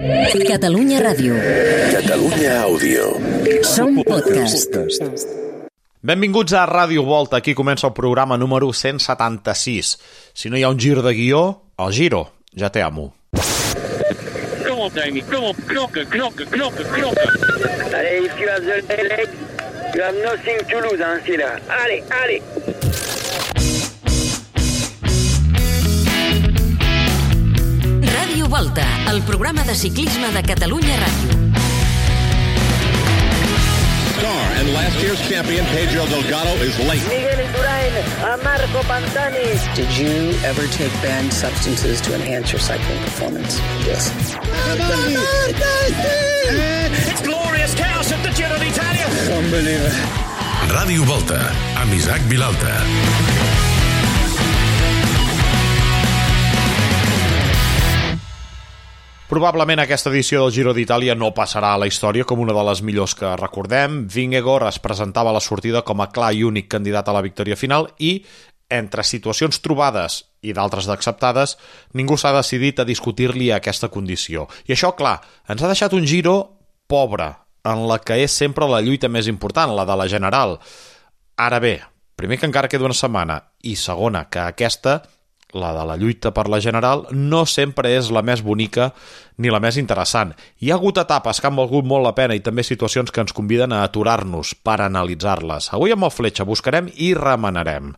Catalunya Ràdio. Catalunya Àudio. Som podcast. Benvinguts a Ràdio Volta. Aquí comença el programa número 176. Si no hi ha un gir de guió, el giro ja te amo. Kom op, Dani. Kom op. Knokken. Allez, if you have the leg, you have nothing to lose, hein, c'est là. Allez. Ràdio Volta, el programa de ciclisme de Catalunya Ràdio. Star and last year's champion Pedro Delgado is late. Miguel Indurain, a Marco Pantani. Did you ever take banned substances to enhance your cycling performance? Yes. It's glorious chaos at the Giro d'Italia. Unbelievable. Ràdio Volta, amb Isaac Vilalta. Probablement aquesta edició del Giro d'Itàlia no passarà a la història com una de les millors que recordem. Vingegaard es presentava a la sortida com a clar i únic candidat a la victòria final i, entre situacions trobades i d'altres d'acceptades, ningú s'ha decidit a discutir-li aquesta condició. I això, clar, ens ha deixat un Giro pobre, en la que és sempre la lluita més important, la de la general. Ara bé, primer que encara queda una setmana, i segona que aquesta, la de la lluita per la general, no sempre és la més bonica ni la més interessant. Hi ha hagut etapes que han valgut molt la pena i també situacions que ens conviden a aturar-nos per analitzar-les. Avui amb el Fletxa buscarem i remenarem.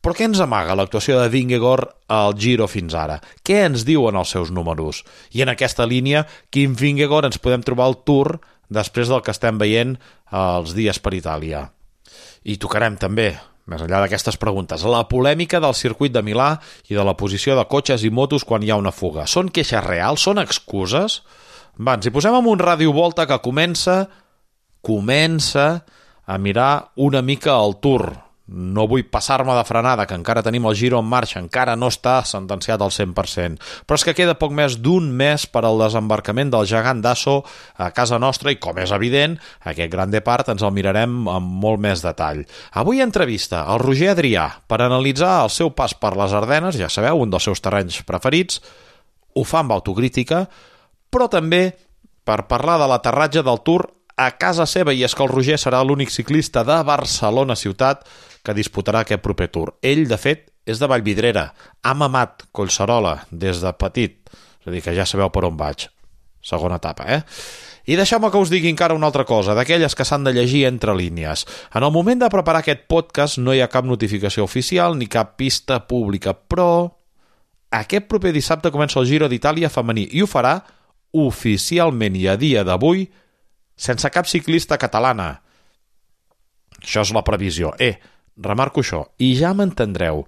Però què ens amaga l'actuació de Vingegaard al Giro fins ara? Què ens diuen els seus números? I en aquesta línia, quin Vingegaard ens podem trobar al Tour després del que estem veient els dies per Itàlia? I tocarem també, més enllà d'aquestes preguntes, la polèmica del circuit de Milà i de la posició de cotxes i motos quan hi ha una fuga. Són queixes reals? Són excuses? Va, ens hi posem amb un Ràdio Volta que comença a mirar una mica el Tour. No vull passar-me de frenada, que encara tenim el Giro en marxa, encara no està sentenciat al 100%. Però és que queda poc més d'un mes per al desembarcament del gegant d'Asso a casa nostra i, com és evident, aquest gran depart ens el mirarem amb molt més detall. Avui entrevista al Roger Adrià per analitzar el seu pas per les Ardenes, ja sabeu, un dels seus terrenys preferits. Ho fa amb autocrítica, però també per parlar de l'aterratge del Tour a casa seva, i és que el Roger serà l'únic ciclista de Barcelona ciutat que disputarà aquest proper Tour. Ell, de fet, és de Vallvidrera. Ha mamat Collserola des de petit. És a dir, que ja sabeu per on vaig. Segona etapa, I deixeu-me que us digui encara una altra cosa, d'aquelles que s'han de llegir entre línies. En el moment de preparar aquest podcast no hi ha cap notificació oficial ni cap pista pública, però aquest proper dissabte comença el Giro d'Itàlia femení i ho farà oficialment i a dia d'avui sense cap ciclista catalana. Això és la previsió. Remarco això, i ja m'entendreu,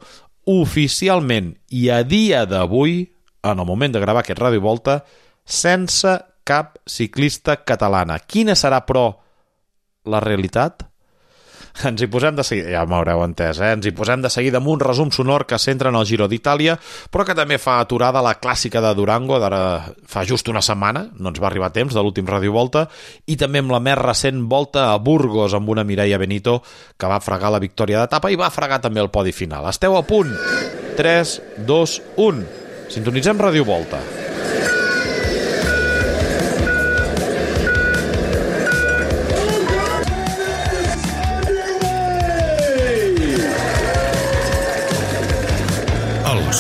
oficialment i a dia d'avui, en el moment de gravar aquest Ràdio Volta, sense cap ciclista catalana. Quina serà, però, la realitat? Ens hi posem de seguida, ja m'haureu entès, ens hi posem de seguida amb un resum sonor que centra en el Giro d'Itàlia, però que també fa aturada la clàssica de Durango d'ara fa just una setmana, no ens va arribar a temps de l'últim Ràdio Volta, i també amb la més recent volta a Burgos amb una Mireia Benito que va fregar la victòria d'etapa i va fregar també el podi final. Esteu a punt? 3, 2, 1. Sintonitzem Ràdio Volta.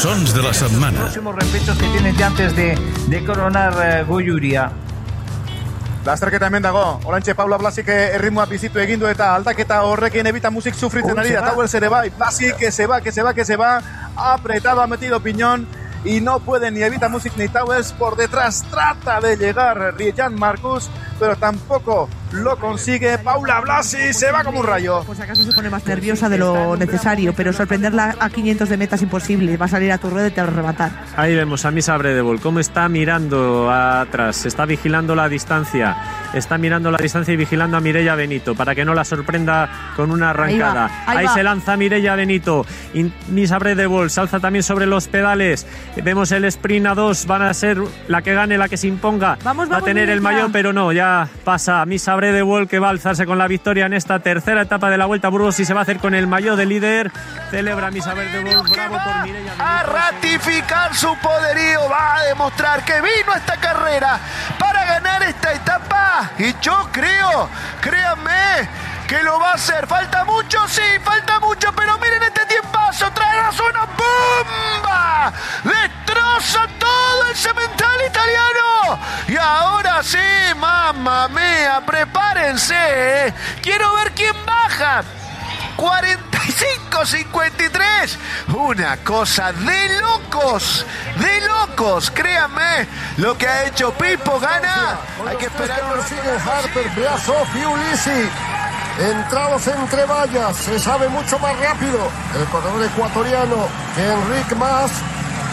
Sons de la setmana. Próximos repechos que tienes ya antes de coronar Goiuria. Lasterketa hemen dago, orantxe Paula Blasik erritmoa bizitu egindu eta aldaketa horrekin Evita Musik sufritzen ari da, Towers ere bai, Blasik que se va, apretado, ha metido piñón y no puede ni Evita Musik ni Towers por detrás, trata de llegar Jan Marcus, pero tampoco lo consigue. Paula Blasi se va como un rayo. Pues acaso se pone más nerviosa de lo necesario, pero sorprenderla a 500 de meta es imposible. Va a salir a tu rueda y te va a arrebatar. Ahí vemos a Misa Bredebol cómo está mirando atrás, está vigilando la distancia, y vigilando a Mireia Benito para que no la sorprenda con una arrancada. Ahí se lanza Mireia Benito. Misa Bredebol se alza también sobre los pedales. Vemos el sprint a 2, van a ser la que gane, la que se imponga. Va a tener el maillot, pero no, ya pasa Misa Bredewald, que va a alzarse con la victoria en esta tercera etapa de la Vuelta a Burgos y se va a hacer con el maillot de líder. Celebra Misa Bredewald, bravo por Mireia Benito. A ratificar su poderío, va a demostrar que vino a esta carrera para ganar esta etapa. Y yo creo, créanme, que lo va a hacer. ¿Falta mucho? Sí, falta mucho, pero miren este tiempazo, traerás una bomba, destroza todo el cemental italiano. Y ahora sí, mamma mía, prepárense, quiero ver quién baja. 45-53, una cosa de locos, créanme, lo que ha hecho Pippo Ganna. Hay que esperar. Siguen Harper, Brasov y Ulisi. Entrados entre vallas, se sabe mucho más rápido el corredor ecuatoriano que Enric Mas,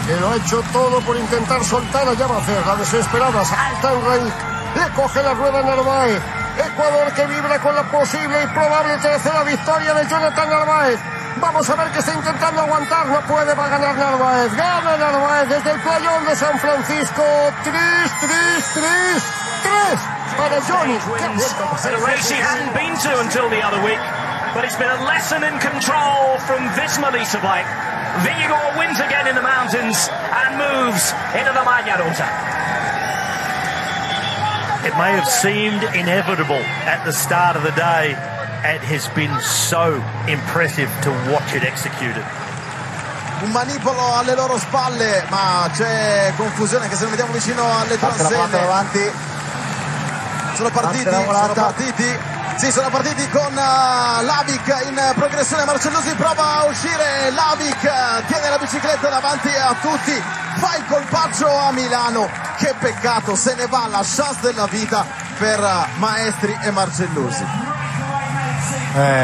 que lo ha hecho todo por intentar soltar a Llamacer, la desesperada, salta Enric, le coge la rueda Narváez. Ecuador que vibra con la posible y probable tercera victoria de Jonathan Narváez. Vamos a ver que está intentando aguantar, no puede, va a ganar Narváez. Gana Narváez desde el playón de San Francisco. 3 para Johnny. A race he hadn't been to until the other week, but it's been a lesson in control from Visma Lisa Blake. Vigor wins again in the mountains and moves into the Magna Rosa. It may have seemed inevitable at the start of the day. It has been so impressive to watch it executed. Un manipolo alle loro spalle, ma c'è confusione che se lo vediamo vicino alle transenne. Sono partiti con Lavic in progressione. Marcellusi prova a uscire, Lavic tiene la bicicletta davanti a tutti, fa il colpaccio a Milano. Che peccato, se ne va la chance della vita per Maestri e Marcellusi.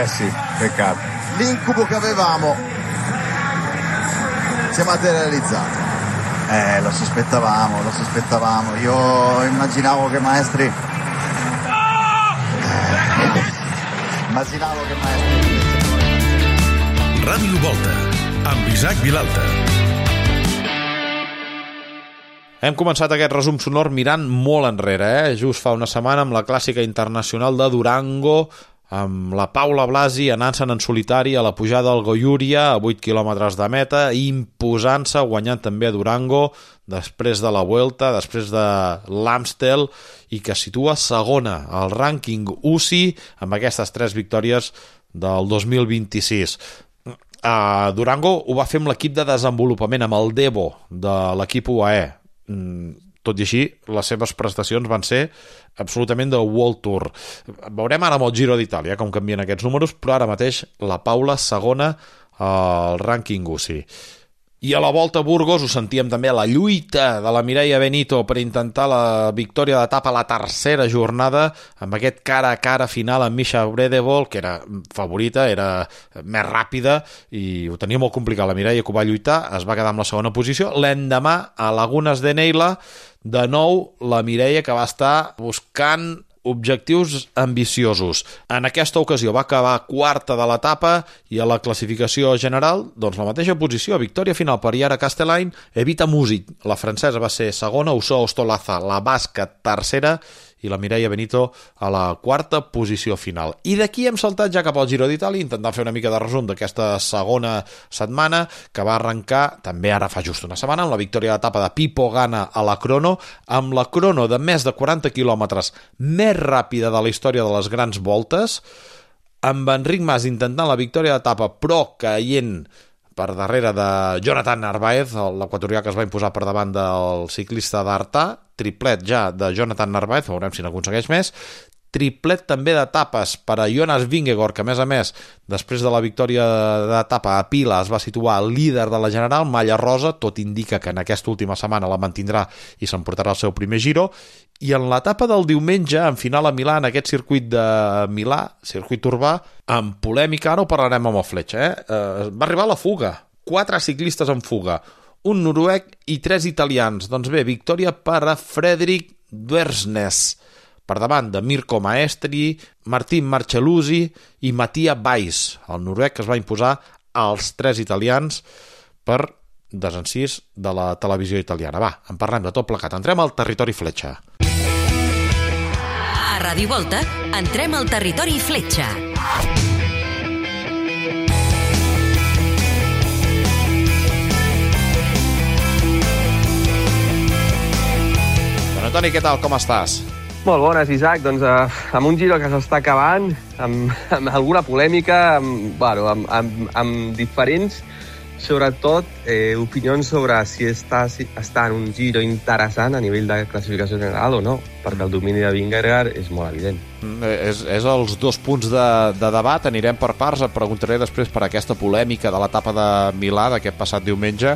Sì, peccato. L'incubo che avevamo si è materializzato. Lo sospettavamo. Io immaginavo che Maestri Ràdio Volta, amb Isaac Vilalta. Hem començat aquest resum sonor mirant molt enrere, just fa una setmana amb la clàssica internacional de Durango, amb la Paula Blasi anant-se'n en solitari a la pujada del Goiuria a 8 quilòmetres de meta, imposant-se, guanyant també a Durango després de la Vuelta, després de l'Amstel, i que situa segona al rànquing UCI amb aquestes 3 victòries del 2026. A Durango ho va fer amb l'equip de desenvolupament, amb el Devo de l'equip UAE. Tot i així, les seves prestacions van ser absolutament de World Tour. Veurem ara amb el Giro d'Itàlia com canvien aquests números, però ara mateix la Paula segona al rànquing UCI. I a la Volta a Burgos ho sentíem també, la lluita de la Mireia Benito per intentar la victòria d'etapa a la tercera jornada, amb aquest cara a cara final amb Misha Bredewald, que era favorita, era més ràpida, i ho tenia molt complicat. La Mireia, que ho va lluitar, es va quedar amb la segona posició. L'endemà, a Lagunes de Neila, de nou, la Mireia, que va estar buscant objectius ambiciosos. En aquesta ocasió va acabar quarta de l'etapa i a la classificació general, doncs la mateixa posició, victòria final per Yara Castellain, Evita Music, la francesa va ser segona, Uso Ostolaza, la basca, tercera, i la Mireia Benito a la quarta posició final. I d'aquí hem saltat ja cap al Giro d'Itàlia, intentant fer una mica de resum d'aquesta segona setmana, que va arrencar també ara fa just una setmana, amb la victòria d'etapa de Pippo Ganna a la crono, amb la crono de més de 40 quilòmetres més ràpida de la història de les grans voltes, amb Enric Mas intentant la victòria d'etapa, però caient per darrere de Jonathan Narváez, l'equatorià que es va imposar per davant del ciclista d'Artà, triplet ja de Jonathan Narváez, veurem si n'aconsegueix més, triplet també d'etapes per a Jonas Vingegaard, que a més, després de la victòria d'etapa a Pila es va situar líder de la general, malla rosa, tot indica que en aquesta última setmana la mantindrà i s'emportarà el seu primer Giro, i en l'etapa del diumenge, en final a Milà, en aquest circuit de Milà, circuit urbà, amb polèmica, ara ho parlarem amb el Fletxa, va arribar a la fuga, 4 ciclistes en fuga, un noruec i 3 italians. Doncs bé, victòria per a Fredrik Dwersnes, per davant de Mirko Maestri, Martin Marcellusi i Mattia Weiss, el noruec que es va imposar als 3 italians per desencís de la televisió italiana. Va, en parlem de tot plegat. Entrem al territori Fletxa. A Ràdio Volta, entrem al territori fletxa. Bueno, Toni, què tal? Com estàs? Molt bones, Isaac. Doncs amb un Giro que s'està acabant, amb alguna polèmica, amb diferents, sobretot, opinions sobre si està en un Giro interessant a nivell de classificació general o no, perquè el domini de Vingegaard és molt evident. És els dos punts de debat. Anirem per parts. Et preguntaré després per aquesta polèmica de l'etapa de Milà d'aquest passat diumenge,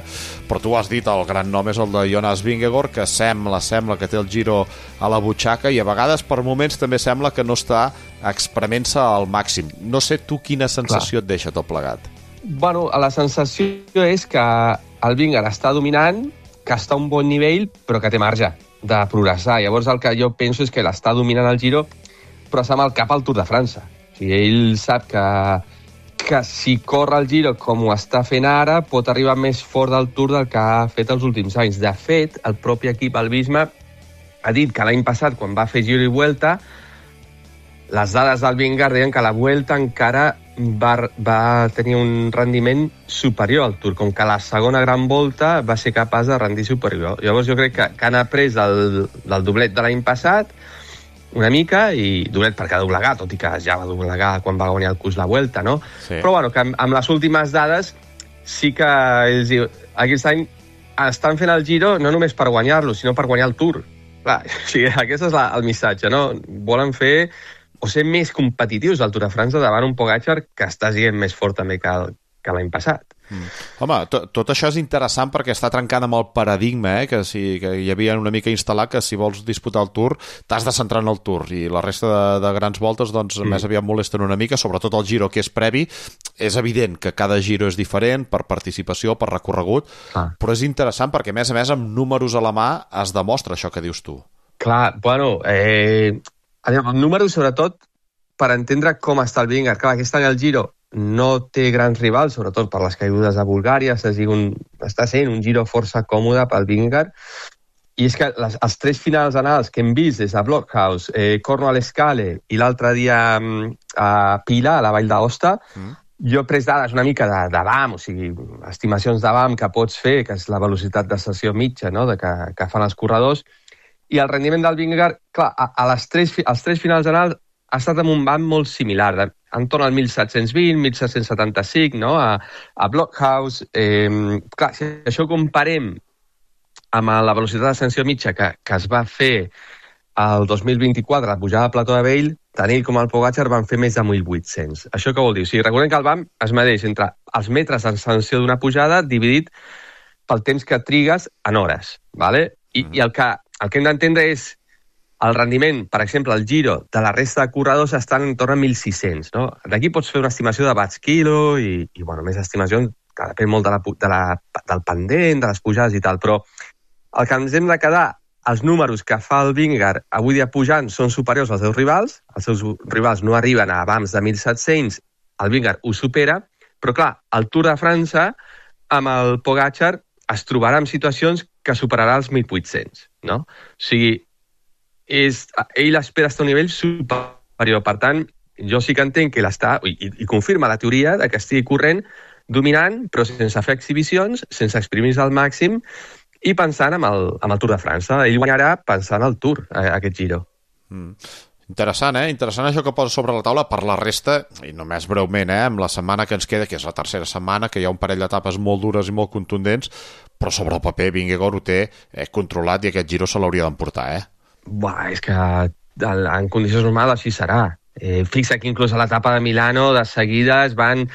però tu has dit el gran nom és el de Jonas Vingegaard, que sembla que té el Giro a la butxaca i a vegades per moments també sembla que no està exprement-se al màxim. No sé tu quina sensació et deixa tot plegat. Bueno, la sensació és que el Vingegaard està dominant, que està a un bon nivell, però que té marge de progressar. Llavors el que jo penso és que l'està dominant el Giro, però està amb el cap al Tour de França. O sigui, ell sap que si corre el Giro com ho està fent ara, pot arribar més fort del Tour del que ha fet els últims anys. De fet, el propi equip Albisma ha dit que l'any passat, quan va fer Giro i Vuelta, les dades del Vingegaard deien que la Vuelta encara va tenir un rendiment superior al Tour, com que la segona gran volta va ser capaç de rendir superior. Llavors jo crec que han après del doblet de l'any passat una mica, i doblet perquè ha doblegat, tot i que ja va doblegar quan va guanyar el Cus la Vuelta, no? Sí. Però bueno, que amb les últimes dades sí que aquest any estan fent el Giro no només per guanyar-lo, sinó per guanyar el Tour. Clar, o sigui, aquest és el missatge, no? Volen fer o ser més competitius al Tour de França davant un Pogačar que està sent més fort també que l'any passat. Home, tot això és interessant perquè està trencant amb el paradigma, que hi havia una mica instal·lat que si vols disputar el Tour t'has de centrar en el Tour i la resta de grans voltes doncs més aviat molesten una mica, sobretot el Giro que és previ. És evident que cada Giro és diferent per participació, per recorregut, però és interessant perquè a més amb números a la mà es demostra això que dius tu. Clar, bueno, amb números sobretot per entendre com està el Vingegaard. Clar, aquest any el Giro no té grans rivals, sobretot per les caigudes a Bulgària, està sent un Giro força còmode pel Vingegaard, i és que els tres finals anals que hem vist des de Blockhaus, Cornwall-Escale i l'altre dia a Pila, a la Vall d'Aosta, jo he pres dades una mica de BAM, o sigui, estimacions de BAM que pots fer, que és la velocitat de sessió mitja, no?, que fan els corredors, i el rendiment del Vingegaard, clar, als tres finals anals ha estat amb un BAM molt similar, entorn al 1720, 1775, no?, a Blockhaus. Clar, si això ho comparem amb la velocitat d'ascensió mitja que es va fer el 2024, la pujada de Plató de Vell, tant ell com el Pogačar van fer més de 1.800. Això què vol dir? O sigui, recordem que el BAM es medeix entre els metres d'ascensió d'una pujada dividit pel temps que trigues en hores, ¿vale? I el que hem d'entendre és el rendiment, per exemple, el Giro de la resta de corredors estan en torn a 1.600, no? D'aquí pots fer una estimació de watts quilo i bueno, més estimacions que depèn molt del pendent, de les pujades i tal, però el que ens hem de quedar, els números que fa el Vingegaard avui dia pujant són superiors als seus rivals, els seus rivals no arriben a abans de 1.700, el Vingegaard ho supera, però clar, el Tour de França amb el Pogačar es trobarà en situacions que superarà els 1.800, no? O sigui, ell espera estar a un nivell superior. Per tant, jo sí que entenc que l'està, i confirma la teoria de que estigui corrent, dominant, però sense fer exhibicions, sense exprimir-se al màxim, i pensant amb el Tour de França. Ell guanyarà pensant al Tour, aquest Giro. Interessant, Interessant això que posa sobre la taula. Per la resta, i només breument, amb la setmana que ens queda, que és la tercera setmana, que hi ha un parell d'etapes molt dures i molt contundents, però sobre el paper Vingegaard ho té controlat i aquest Giro se l'hauria d'emportar, És que en condicions normals així serà. Fixa que inclús a l'etapa de Milano de seguida es van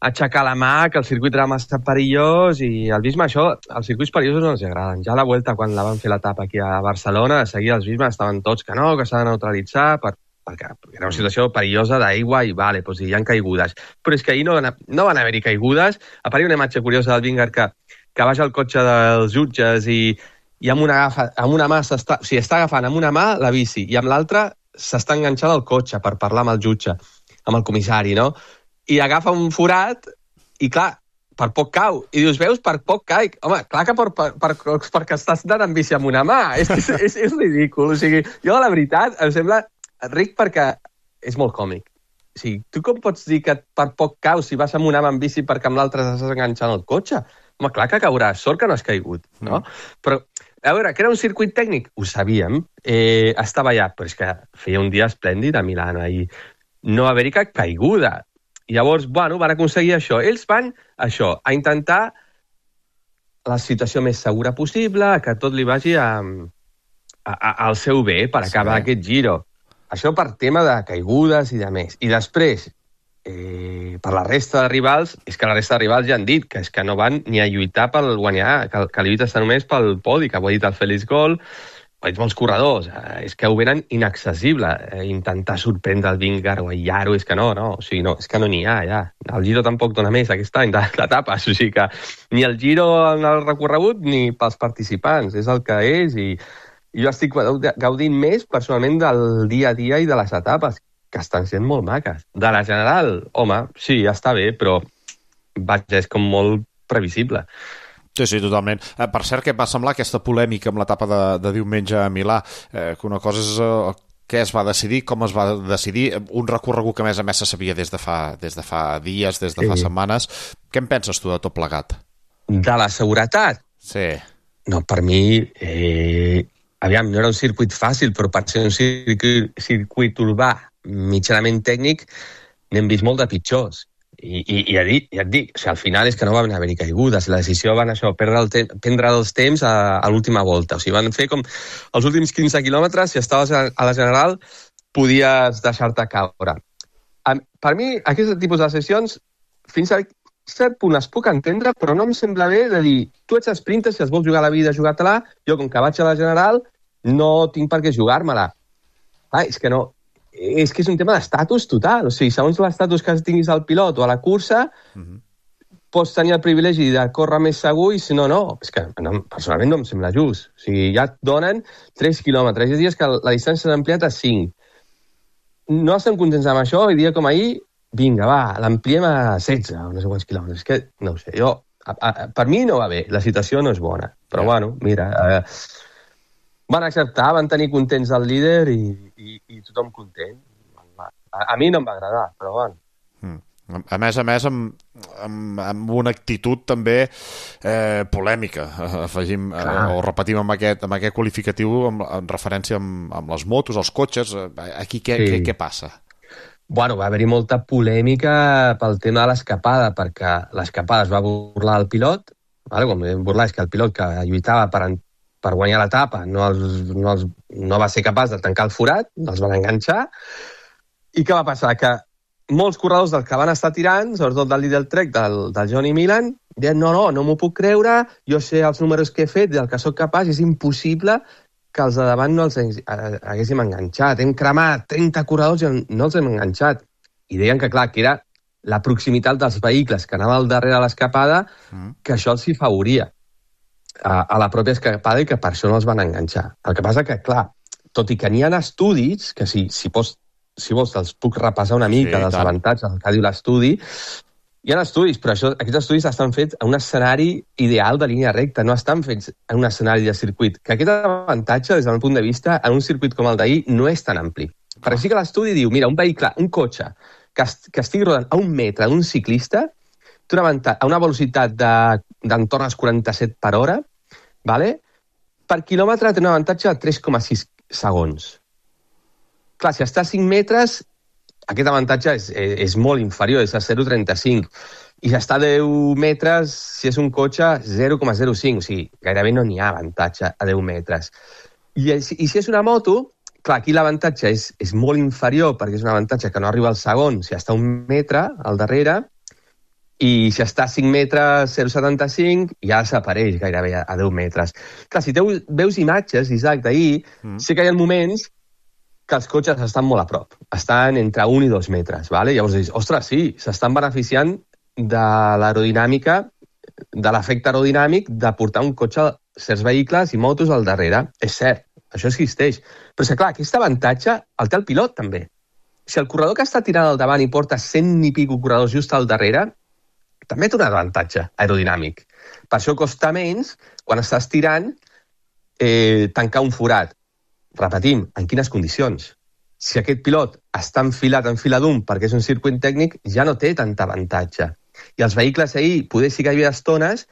aixecar la mà, que el circuit era massa perillós, i el Visma això, els circuits perillosos no els agraden. Ja a la Vuelta, quan la van fer l'etapa aquí a Barcelona, de seguida els Visma estaven tots que no, que s'ha de neutralitzar, perquè era una situació perillosa d'aigua i vale, doncs hi ha caigudes. Però és que ahir no van haver-hi caigudes. Apareix una imatge curiosa del Vingegaard que baixa el cotxe dels jutges i amb una mà està agafant amb una mà la bici i amb l'altra s'està enganxant al cotxe per parlar amb el jutge, amb el comissari, no? I agafa un forat i, clar, per poc cau. I dius, veus, per poc caic. Home, clar que perquè estàs anant amb bici amb una mà. És ridícul. O sigui, jo, la veritat, em sembla ric perquè és molt còmic. O sigui, tu com pots dir que per poc caus si vas amb un amb bici perquè amb l'altre estàs enganxant el cotxe? Home, clar que cauràs, sort que no has caigut, no? Però, a veure, que era un circuit tècnic? Ho sabíem, estava allà, però és que feia un dia esplèndid a Milano i no va haver-hi cap caiguda. Llavors, bueno, van aconseguir això. Ells van, això, a intentar la situació més segura possible, que tot li vagi al seu bé per acabar aquest Giro. Això per tema de caigudes i de més. I després, per la resta de rivals, és que la resta de rivals ja han dit que és que no van ni a lluitar pel guanyar, que lluites només pel podi, que ho ha dit el Félix Gol, ho ha dit molts corredors, és que ho venen inaccessible, intentar sorprendre el Vingegaard o el Yaro, és que no, o sigui, no, és que no n'hi ha, ja. El Giro tampoc dona més aquest any d'etapes, o sigui que ni el Giro en el recorregut ni pels participants, és el que és i jo estic gaudint més personalment del dia a dia i de les etapes, que estan sent molt maques. De la general, home, sí, està bé, però vaja, és com molt previsible. Sí, totalment. Per cert, què va semblar aquesta polèmica amb l'etapa de diumenge a Milà? Que una cosa és què es va decidir, com es va decidir, un recorregut que a més se sabia des de fa dies, des de fa setmanes. Què en penses tu de tot plegat? De la seguretat? Sí. No, per mi... Aviam, no era un circuit fàcil, però per ser un circuit urbà mitjanament tècnic n'hem vist molt de pitjors. I ja et dic, o sigui, al final és que no van haver-hi caigudes. La decisió van prendre els temps a l'última volta. O sigui, van fer com els últims 15 quilòmetres, si estaves a la general, podies deixar-te caure. Per mi, aquest tipus de sessions, fins a cert punt es puc entendre, però no em sembla bé de dir, tu ets sprinter, si es vols jugar la vida, jugar-te-la, jo com que vaig a la general no tinc per què jugar-me-la. És que no, és que és un tema d'estatus total, o sigui, segons l'estatus que tinguis al pilot o a la cursa, pots tenir el privilegi de córrer més segur i si no, no. És que personalment no em sembla just. O sigui, ja et donen 3 quilòmetres, és a dir, que la distància s'ha ampliat a 5. No estem contents amb això, i dia com ahir, vinga, va, l'ampliem a 16 o no sé quants quilòmetres. És que, no ho sé, per mi no va bé, la situació no és bona. Però, bueno, mira, van acceptar, van tenir contents el líder i tothom content. A mi no em va agradar, però, bueno. A més, amb una actitud també polèmica, afegim o repetim amb aquest qualificatiu en referència amb les motos, els cotxes. Aquí què passa? Bueno, va haver-hi molta polèmica pel tema de l'escapada, perquè l'escapada es va burlar el pilot, com burlar és que el pilot que lluitava per guanyar l'etapa no va ser capaç de tancar el forat, els van enganxar, i què va passar? Que molts corredors dels que van estar tirant, sobretot del líder Trek, del Johnny Milan, deien, no m'ho puc creure, jo sé els números que he fet, del que sóc capaç, és impossible que els de davant no els haguéssim enganxat. Hem cremat 30 corredors i no els hem enganxat. I deien que, clar, que era la proximitat dels vehicles que anava al darrere de l'escapada, que això els hi favoria a la pròpia escapada i que per això no els van enganxar. El que passa que, clar, tot i que n'hi ha estudis, que si vols te'ls puc repassar una mica dels avantatges que diu l'estudi, hi ha estudis, però aquests estudis estan fets en un escenari ideal de línia recta, no estan fets en un escenari de circuit. Que aquest avantatge, des del meu punt de vista, en un circuit com el d'ahir, no és tan ampli. Perquè sí que l'estudi diu, mira, un vehicle, un cotxe, que estigui rodant a 1 metre d'un ciclista, a una velocitat d'entorn als 47 per hora, per quilòmetre té un avantatge de 3,6 segons. Clar, si està a 5 metres, aquest avantatge és molt inferior, és a 0,35. I si està a 10 metres, si és un cotxe, 0,05. O sigui, gairebé no n'hi ha avantatge a 10 metres. I si és una moto, clar, aquí l'avantatge és molt inferior, perquè és un avantatge que no arriba al segon si està a 1 metre al darrere, i si està a 5 metres, 0,75, ja desapareix gairebé a 10 metres. Clar, si veus imatges, Isaac, d'ahir, sé que hi ha moments que els cotxes estan molt a prop. Estan entre 1 i 2 metres. Llavors dius, ostres, sí, s'estan beneficiant de l'aerodinàmica, de l'efecte aerodinàmic de portar un cotxe, certs vehicles i motos al darrere. És cert, això existeix. Però és que, clar, aquest avantatge el té el pilot, també. Si el corredor que està tirant al davant i porta 100 i pico corredors just al darrere, també té un avantatge aerodinàmic. Per això costa menys, quan estàs tirant, tancar un forat. Repetim, en quines condicions? si aquest pilot està enfilat en fila d'un perquè és un circuit tècnic, ja no té tanta avantatge. I els vehicles ahir, poder sí que hi havia estones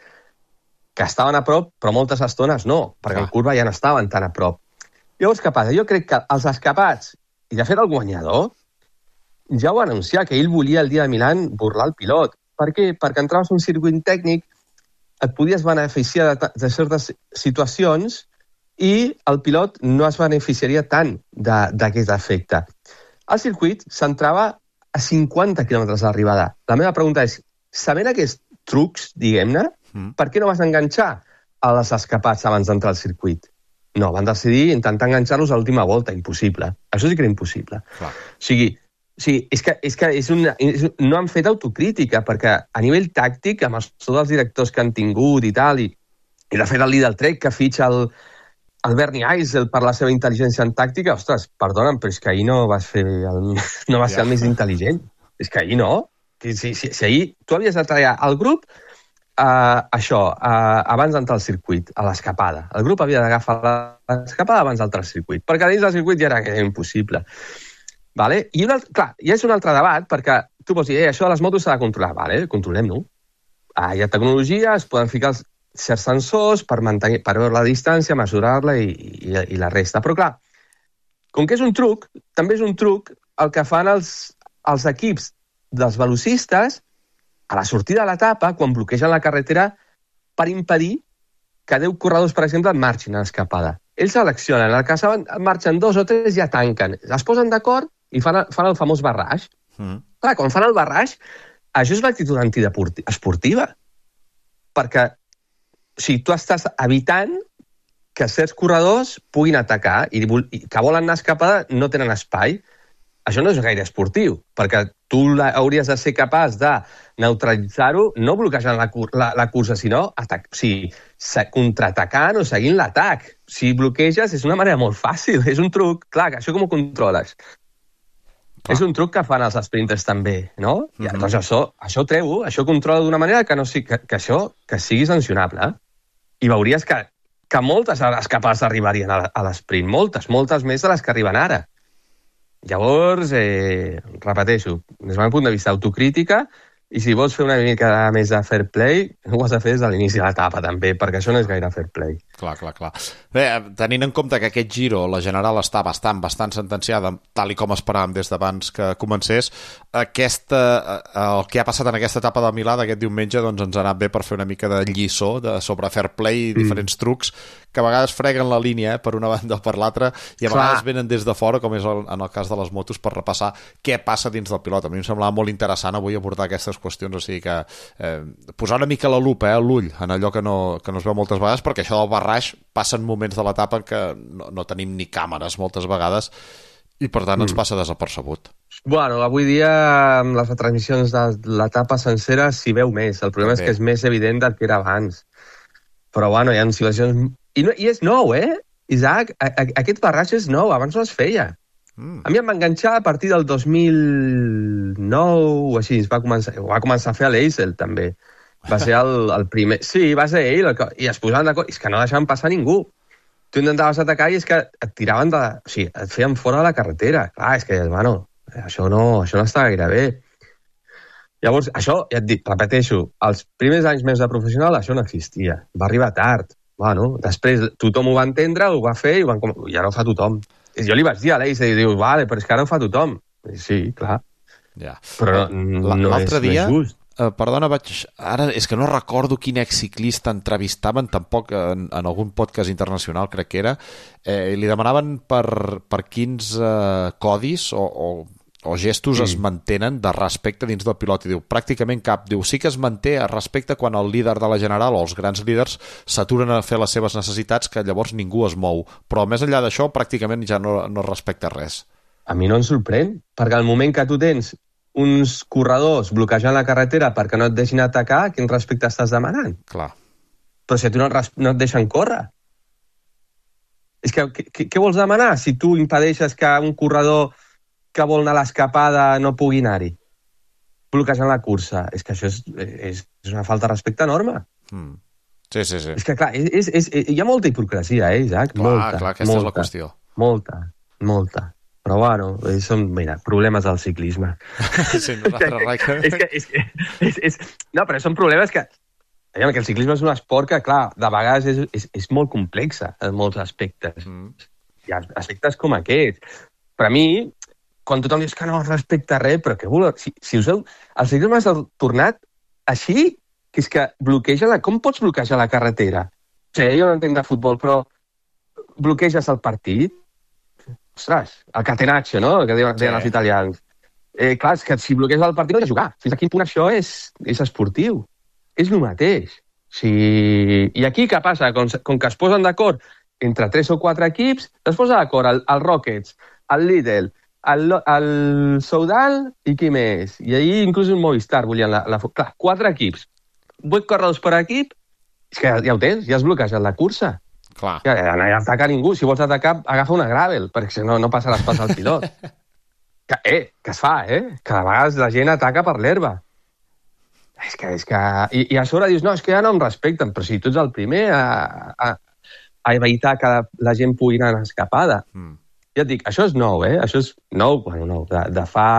que estaven a prop, però moltes estones no, perquè en curva ja no estaven tan a prop. Llavors, què passa? Jo crec que els escapats, i de fet el guanyador, ja ho va anunciar, que ell volia el dia de Milán burlar el pilot. Per què? Perquè entraves en un circuit tècnic, et podies beneficiar de certes situacions i el pilot no es beneficiaria tant d'aquest efecte. El circuit s'entrava a 50 km d'arribada. La meva pregunta és, sabent aquests trucs, diguem-ne, per què no vas enganxar a les escapats abans d'entrar al circuit? No, van decidir intentar enganxar-los a l'última volta. Impossible. Això sí que era impossible. Clar. O sigui, no han fet autocrítica, perquè a nivell tàctic, amb tots els directors que han tingut i tal, i de fet el Lidl Trek que fitxa el Bernie Eisel per la seva intel·ligència en tàctica, ostres, perdona'm, però és que ahir no vas ser el més intel·ligent. És que ahir no. Si ahir tu havies de treballar al grup abans d'entrar al circuit, a l'escapada. El grup havia d'agafar l'escapada abans d'entrar al circuit, perquè dins del circuit ja era impossible. Vale? I clar, ja és un altre debat, perquè tu pots dir, això de les motos s'ha de controlar. Vale, controlem-ho. Hi ha tecnologia, es poden ficar certs sensors per veure la distància, mesurar-la i la resta. Però clar, com que és un truc, també és un truc el que fan els equips dels velocistes a la sortida de l'etapa, quan bloquegen la carretera, per impedir que 10 corredors, per exemple, marxin a l'escapada. Ells seleccionen, el que saben, marxen 2 o 3, ja tanquen. Es posen d'acord i fan el famós barrage. Clar, quan fan el barrage, això és l'actitud antiesportiva. Perquè tu estàs evitant que certs corredors puguin atacar i que volen anar a escapada no tenen espai. Això no és gaire esportiu, perquè tu hauries de ser capaç de neutralitzar-ho, no bloquejant la cursa, sinó contraatacant o seguint l'atac. Si bloqueges és una manera molt fàcil, és un truc. Clar, això com ho controles? Clar. És un truc que fan els sprinters també, no? I doncs això treu, això controla d'una manera que sigui sancionable. I veuries que moltes escapades arribarien a l'esprint, moltes més de les que arriben ara. Llavors, repeteixo, des del meu punt de vista, autocrítica, i si vols fer una mica més de fair play, ho has de fer des de l'inici de l'etapa, també, perquè això no és gaire fair play. Clar. Bé, tenint en compte que aquest Giro, la general, està bastant sentenciada, tal i com esperàvem des d'abans que comencés, el que ha passat en aquesta etapa de Milà d'aquest diumenge doncs ens ha anat bé per fer una mica de lliçó sobre fair play i diferents trucs que a vegades freguen la línia per una banda o per l'altra i a vegades venen des de fora, com és en el cas de les motos, per repassar què passa dins del pilot. A mi em semblava molt interessant avui abordar aquestes qüestions, o sigui que posar una mica la lupa, l'ull, en allò que no es veu moltes vegades, perquè això del barrage passen moments de l'etapa que no tenim ni càmeres moltes vegades i per tant ens passa desapercebut. Bueno, avui dia amb les retransmissions de l'etapa sencera s'hi veu més. El problema és que és més evident del que era abans. Però bueno, hi ha situacions... I és nou, Isaac? Aquest barrage és nou, abans no es feia. A mi em va enganxar a partir del 2009 o així, va començar a fer l'Eisel, també. Va ser el primer... Sí, va ser ell, i es posaven d'acord. És que no deixaven passar ningú. Tu intentaves atacar i és que et tiraven o sigui, et feien fora de la carretera. Clar, és que, bueno, això no està gaire bé. Llavors, això, ja et dic, repeteixo, els primers anys més de professional això no existia. Va arribar tard. Bueno, després tothom ho va entendre, ho va fer i ara ho fa tothom. Jo li vaig dir a l'Eis i diu, vale, però és que ara ho fa tothom. Sí, clar. Ja. Però no és just. Perdona, ara és que no recordo quin exciclista entrevistaven, tampoc en algun podcast internacional, crec que era, li demanaven per quins codis o gestos es mantenen de respecte dins del pilot, i diu, pràcticament cap. Diu, sí que es manté a respecte quan el líder de la general o els grans líders s'aturen a fer les seves necessitats, que llavors ningú es mou, però més enllà d'això pràcticament ja no respecta res. A mi no em sorprèn, perquè al moment que tu tens uns corredors bloquejant la carretera perquè no et deixin atacar, quin respecte estàs demanant? Clar. Però si a tu no et deixen córrer. És que què vols demanar si tu impedeixes que un corredor que vol anar a l'escapada no pugui anar-hi, bloquejant la cursa? És que això és una falta de respecte enorme. Sí. És que, clar, hi ha molta hipocresia, Isaac? Clar, aquesta és la qüestió. Molta. Però bueno, són, mira, problemes del ciclisme. Sí, no, però són problemes que el ciclisme és un esport que, clar, de vegades és molt complex en molts aspectes. Hi ha aspectes com aquests. Per a mi, quan tothom diu que no respecta res, però què voleu? Si useu... El ciclisme s'ha tornat així, que és que bloqueja com pots bloquejar la carretera? O sigui, jo no entenc de futbol, però bloqueges el partit? Ostres, el catenaccio, no?, que deien els italians. Clar, és que si bloqueges el partit no has de jugar. Fins a quin punt això és esportiu? És el mateix. I aquí què passa? Com que es posen d'acord entre 3 o 4 equips, es posa d'acord el Rockets, el Lidl, el Soudal i qui més? I ahir inclús el Movistar volien clar, 4 equips, 8 corredors per equip, és que ja ho tens, ja has bloquejat la cursa. Clar. Ja no hi ataca ningú. Si vols atacar, agafa una gravel, perquè si no passaràs pas al pilot. Que es fa, que a vegades la gent ataca per l'herba. És que... I a sobre dius, no, és que ja no em respecten, però si tu ets el primer a evitar que la gent pugui anar en escapada. Ja et dic, això és nou, Això és nou, de fa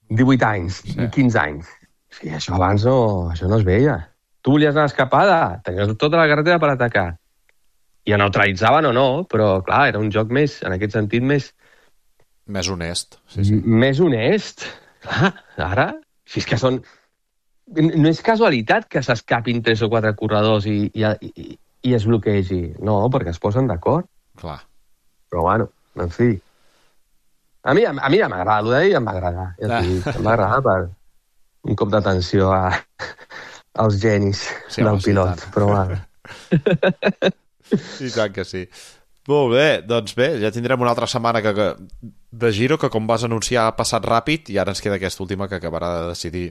18 anys, 15 anys. Sí, això abans això no es veia. Tu volies anar a escapada, tenies tota la carretera per atacar. I ho neutralitzaven o no, però, clar, era un joc més, en aquest sentit, més... Més honest. Més honest. Clar, ara, si és que són... No és casualitat que s'escapin 3 o 4 corredors i es bloquegi. No, perquè es posen d'acord. Clar. Però, bueno, en fi. A mi ja m'agrada, el d'ahir em va agradar. Ja em va agradar per un cop d'atenció als genis del pilot. Però, bueno... I tant que sí. Molt bé, doncs bé, ja tindrem una altra setmana de Giro que, com vas anunciar, ha passat ràpid i ara ens queda aquesta última que acabarà de decidir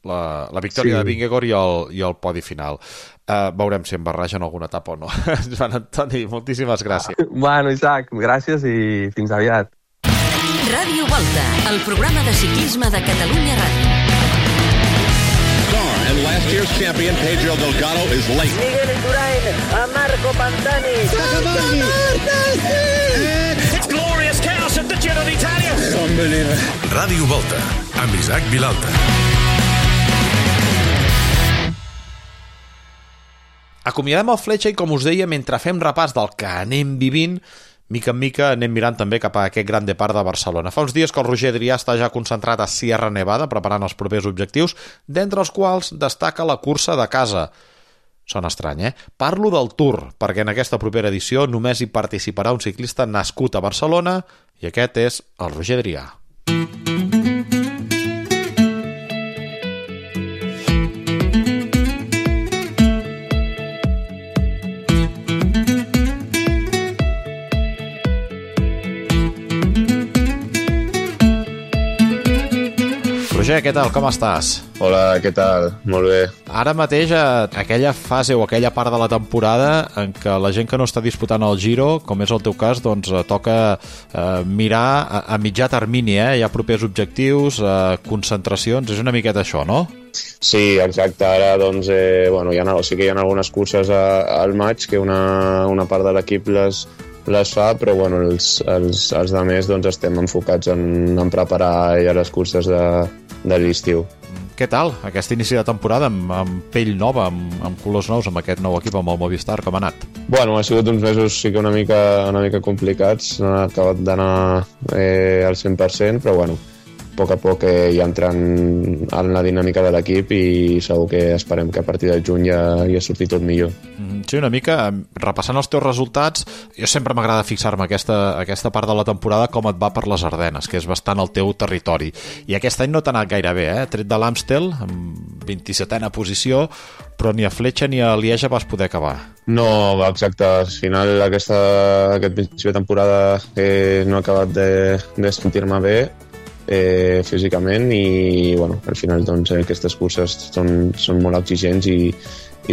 la victòria de Vingegaard i el podi final. Veurem si em barregen alguna etapa o no. Joan Antoni, moltíssimes gràcies. Bueno, Isaac, gràcies i fins aviat. Ràdio Volta, el programa de ciclisme de Catalunya Ràdio. And last year's champion, Pedro Delgado, is late. Miguel Indurain, a Marco Pantani. It's glorious chaos at the Giro d'Italia. Unbelievable. Ràdio Volta, amb Isaac Vilalta. Acomiadem el Fletxa i, com us deia, mentre fem repàs del que anem vivint, mica en mica anem mirant també cap a aquest Gran Depart de Barcelona. Fa uns dies que el Roger Adrià està ja concentrat a Sierra Nevada preparant els propers objectius, d'entre els quals destaca la cursa de casa. Sona estrany, Parlo del Tour, perquè en aquesta propera edició només hi participarà un ciclista nascut a Barcelona i aquest és el Roger Adrià. Roger, què tal? Com estàs? Hola, què tal? Molt bé. Ara mateix, aquella fase o aquella part de la temporada en què la gent que no està disputant el Giro, com és el teu cas, doncs toca mirar a mitjà termini, Hi ha propers objectius, concentracions, és una miqueta això, no? Sí, exacte. Ara, doncs, sí que hi ha algunes curses al maig que una part de l'equip les fa, però bueno, els altres doncs, estem enfocats en preparar ja les curses de l'estiu. Què tal aquest inici de temporada amb pell nova, amb colors nous, amb aquest nou equip, amb el Movistar, com ha anat? Bueno, ha sigut uns mesos sí que una mica complicats, no ha acabat d'anar al 100%, però bueno, a poc ja entrant en la dinàmica de l'equip i segur que esperem que a partir de juny ja surti tot millor. Sí, una mica, repassant els teus resultats, jo sempre m'agrada fixar-me aquesta part de la temporada com et va per les Ardenes, que és bastant el teu territori. I aquest any no t'ha anat gaire bé, Tret de l'Amstel, amb 27a posició, però ni a Fletxa ni a Lieja vas poder acabar. No, exacte. Al final aquest principi de temporada no he acabat de sentir-me bé físicament i bueno, al final doncs, aquestes curses són molt exigents i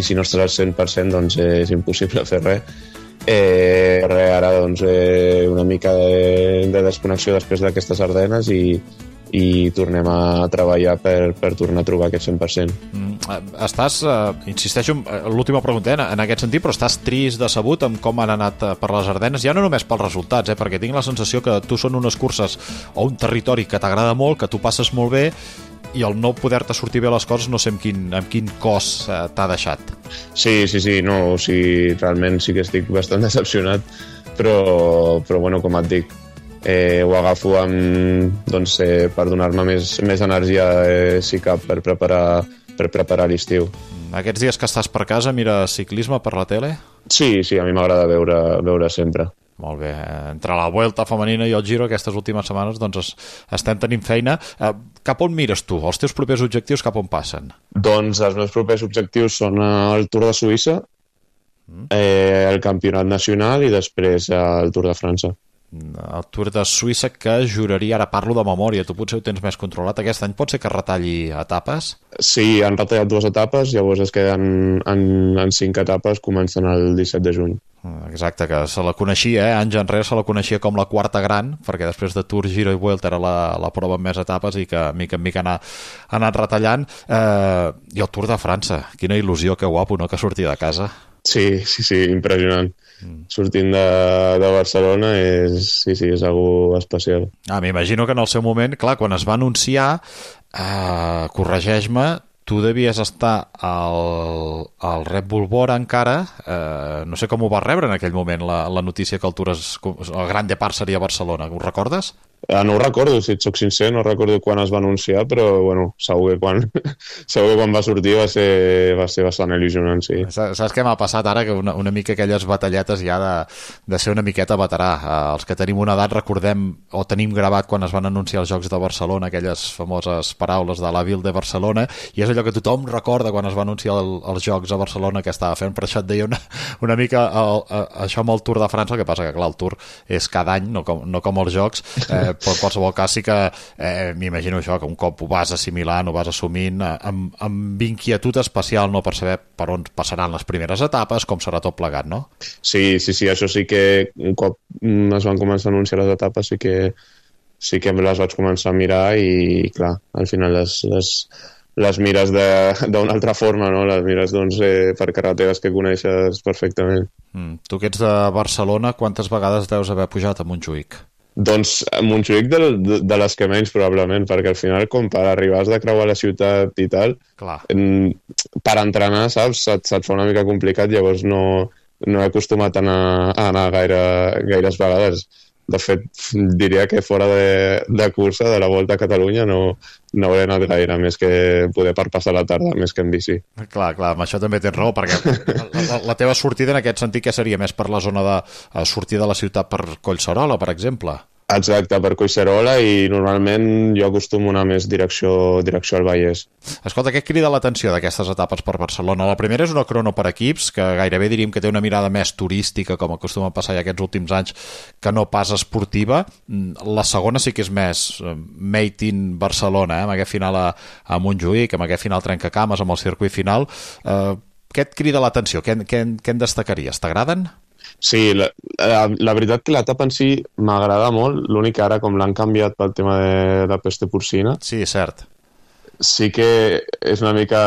si no estàs al 100% doncs és impossible fer res. Ara doncs una mica de desconnexió després d'aquestes Ardenes i i tornem a treballar per tornar a trobar aquest 100%. Estàs, insisteixo, l'última pregunta, en aquest sentit, però estàs trist, decebut amb com han anat per les Ardenes, ja no només pels resultats, perquè tinc la sensació que tu són unes curses o un territori que t'agrada molt, que tu passes molt bé, i el no poder-te sortir bé les coses no sé amb quin cos t'ha deixat. Sí, no, o sigui, realment sí que estic bastant decepcionat, però bueno, com et dic, ho agafo doncs, per donar-me més energia si cap per preparar l'estiu. Aquests dies que estàs per casa mires ciclisme per la tele? Sí, a mi m'agrada veure sempre. Molt bé, entre la Vuelta femenina i el Giro aquestes últimes setmanes doncs estem tenint feina. Cap on mires tu? Els teus propers objectius cap on passen? Doncs els meus propers objectius són el Tour de Suïssa, el Campionat Nacional i després el Tour de França. El Tour de Suïssa, que juraria, ara parlo de memòria, tu potser ho tens més controlat, aquest any pot ser que retalli etapes? Sí, han retallat 2 etapes, llavors es queden en 5 etapes començant el 17 de juny. Exacte, que se la coneixia, anys enrere se la coneixia com la quarta gran, perquè després de Tour, Giro i Vuelta era la prova amb més etapes i que mica en mica ha anat retallant. I el Tour de França, quina il·lusió, que guapo, no?, que sortir de casa. Sí, impressionant. Sortint de Barcelona és algo especial. M'imagino que en el seu moment, clar, quan es va anunciar, corregeix-me, tu devies estar al Red Bull Bora encara, no sé com ho vas rebre en aquell moment, la notícia que el Gran Depart seria a Barcelona, ho recordes? No ho recordo, si et soc sincer, no recordo quan es va anunciar, però bueno, segur que quan va sortir va ser bastant il·lusionant, sí. Saps què m'ha passat ara? Que una mica aquelles batalletes ja de ser una miqueta veterà. Els que tenim una edat recordem o tenim gravat quan es van anunciar els Jocs de Barcelona, aquelles famoses paraules de la Ville de Barcelona, i és allò que tothom recorda quan es va anunciar els Jocs a Barcelona que estava fent. Per això et deia una mica això amb el Tour de França, el que passa que clar, el Tour és cada any, no com els Jocs, però en qualsevol cas sí que m'imagino això, que un cop ho vas assimilant, ho vas assumint amb inquietud especial, no, per saber per on passaran les primeres etapes, com serà tot plegat, no? Sí, això sí que un cop es van començar a anunciar les etapes sí que les vaig començar a mirar i clar, al final les mires d'una altra forma, no? Les mires doncs, per carreteres que coneixes perfectament. Tu que ets de Barcelona, quantes vegades deus haver pujat a Montjuïc? Doncs a Montjuïc de les que menys probablement, perquè al final com per arribar has de creuar la ciutat i tal, per entrenar, saps, se't fa una mica complicat, llavors no he acostumat a anar gaires vegades. De fet, diria que fora de cursa, de la Volta a Catalunya, no hauré anat gaire, més que poder per passar la tarda, més que en bici. Clar, amb això també tens raó, perquè la teva sortida en aquest sentit, què seria? Més per la zona de sortir de la ciutat per Collserola, per exemple? Exacte, per Collserola, i normalment jo acostumo a anar més direcció al Vallès. Escolta, què crida l'atenció d'aquestes etapes per Barcelona? La primera és una crono per equips, que gairebé diríem que té una mirada més turística, com acostuma a passar ja aquests últims anys, que no pas esportiva. La segona sí que és més made in Barcelona, amb aquest final a Montjuïc, amb aquest final trencacames, amb el circuit final. Què et crida l'atenció? Què en destacaries? T'agraden? Sí, la veritat que l'etapa en si m'agrada molt, l'únic que ara com l'han canviat pel tema de la peste porcina. Sí, és cert. Sí que és una mica...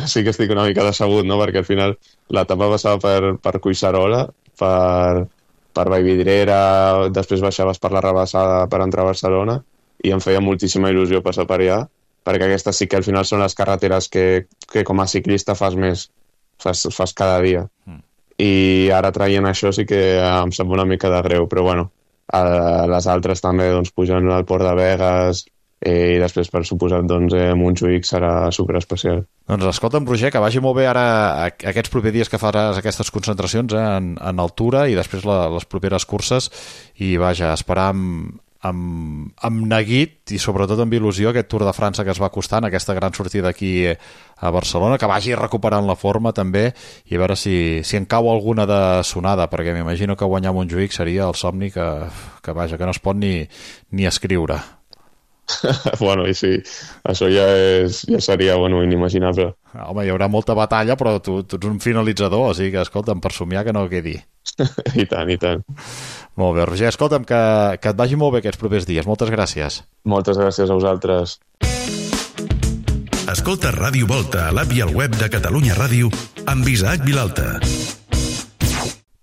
sí que estic una mica decebut, no? Perquè al final l'etapa passava per Collserola, per Vallvidrera, després baixaves per la Rabassada per entrar a Barcelona i em feia moltíssima il·lusió passar per allà, perquè aquestes sí que al final són les carreteres que com a ciclista fas cada dia. I ara traient això sí que em sembla una mica de greu, però bueno, les altres també doncs, pujant al Port de Begues i després per suposat doncs, Montjuïc serà superespecial. Doncs escolta'm, Roger, que vagi molt bé ara aquests propers dies que faràs aquestes concentracions en altura i després les properes curses i vaja, esperar amb neguit i sobretot amb il·lusió aquest Tour de França que es va costant, aquesta gran sortida aquí a Barcelona, que vagi recuperant la forma també i a veure si en cau alguna de sonada, perquè m'imagino que guanyar Montjuïc seria el somni que no es pot ni escriure. Bueno, i sí, això ja seria inimaginable. Home, hi haurà molta batalla, però tu ets un finalitzador, o sigui que, escolta'm, per somiar que no quedi. I tant. Molt bé, Roger, escolta'm, que et vagi molt bé aquests propers dies. Moltes gràcies. Moltes gràcies a vosaltres. Escolta Ràdio Volta a l'app i al web de Catalunya Ràdio amb Isaac Vilalta.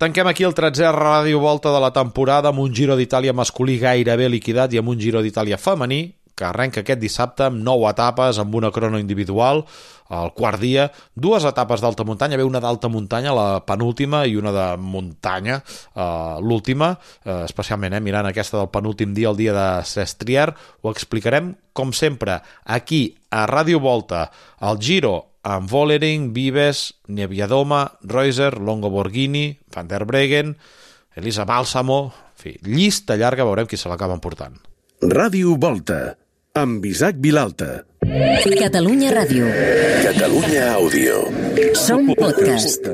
Tanquem aquí el 13è Ràdio Volta de la temporada amb un Giro d'Itàlia masculí gairebé liquidat i amb un Giro d'Itàlia femení que arrenca aquest dissabte amb 9 etapes, amb una crono individual, al quart dia, 2 etapes d'alta muntanya, una d'alta muntanya, la penúltima, i una de muntanya, l'última, especialment mirant aquesta del penúltim dia, el dia de Sestriere. Ho explicarem, com sempre, aquí, a Ràdio Volta, al Giro, amb Vollering, Vives, Nieviadoma, Reuser, Longo Borghini, Van der Breggen, Elisa Balsamo, en fi, llista llarga, veurem qui se l'acaba emportant. Ràdio Volta, amb Isaac Vilalta. Catalunya Ràdio. Catalunya Àudio. Som podcast.